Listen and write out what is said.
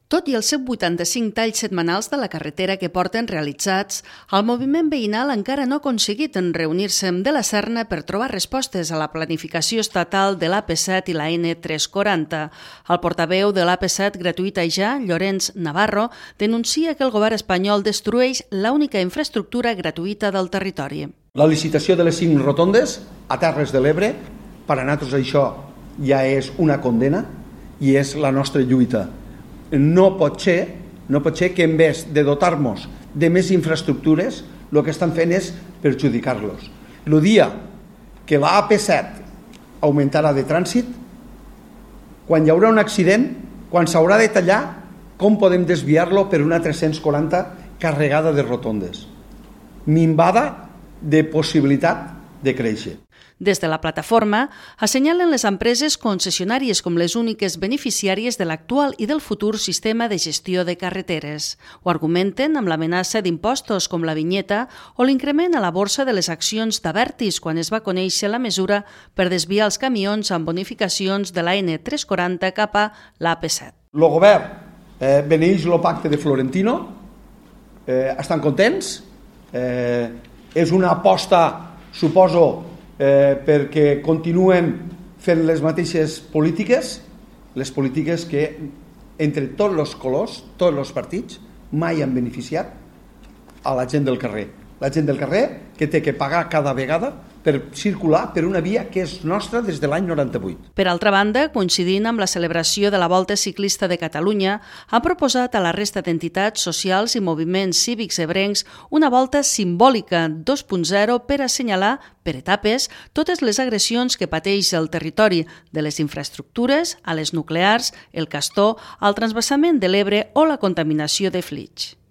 Tot i els 185 talls setmanals de la carretera que porten realitzats, el moviment veïnal encara no ha aconseguit reunir-se de la Serna per trobar respostes a la planificació estatal de l'AP7 i la N340. El portaveu de l'AP7 gratuïta ja, Llorenç Navarro, denuncia que el govern espanyol destrueix l'única infraestructura gratuïta del territori. La licitació de les 5 rotondes a Terres de l'Ebre, per a nosaltres això ja és una condena i és la nostra lluita. No pot ser que en vez de dotar-nos de més infraestructures, el que estan fent és perjudicar-los. El dia que la AP7 augmentarà de trànsit, quan hi haurà un accident, quan s'haurà de tallar, com podem desviar-lo per una 340 carregada de rotondes? Minvada de possibilitat de créixer. Des de la plataforma, assenyalen les empreses concessionàries com les úniques beneficiàries de l'actual i del futur sistema de gestió de carreteres. Ho argumenten amb l'amenaça d'impostos com la vinyeta o l'increment a la borsa de les accions d'Abertis quan es va conèixer la mesura per desviar els camions amb bonificacions de la N340 cap a l'AP7. El govern beneeix el pacte de Florentino, estan contents, és una aposta, suposo, perquè continuen fent les mateixes polítiques, les polítiques que entre tots els colors, tots els partits, mai han beneficiat a la gent del carrer. La gent del carrer que té que pagar cada vegada per circular per una via que és nostra des de l'any 98. Per altra banda, coincidint amb la celebració de la Volta Ciclista de Catalunya, ha proposat a la resta d'entitats socials i moviments cívics ebrencs una volta simbòlica 2.0 per assenyalar, per etapes, totes les agressions que pateix el territori, de les infraestructures a les nuclears, el Castor, el transvasament de l'Ebre o la contaminació de Flix.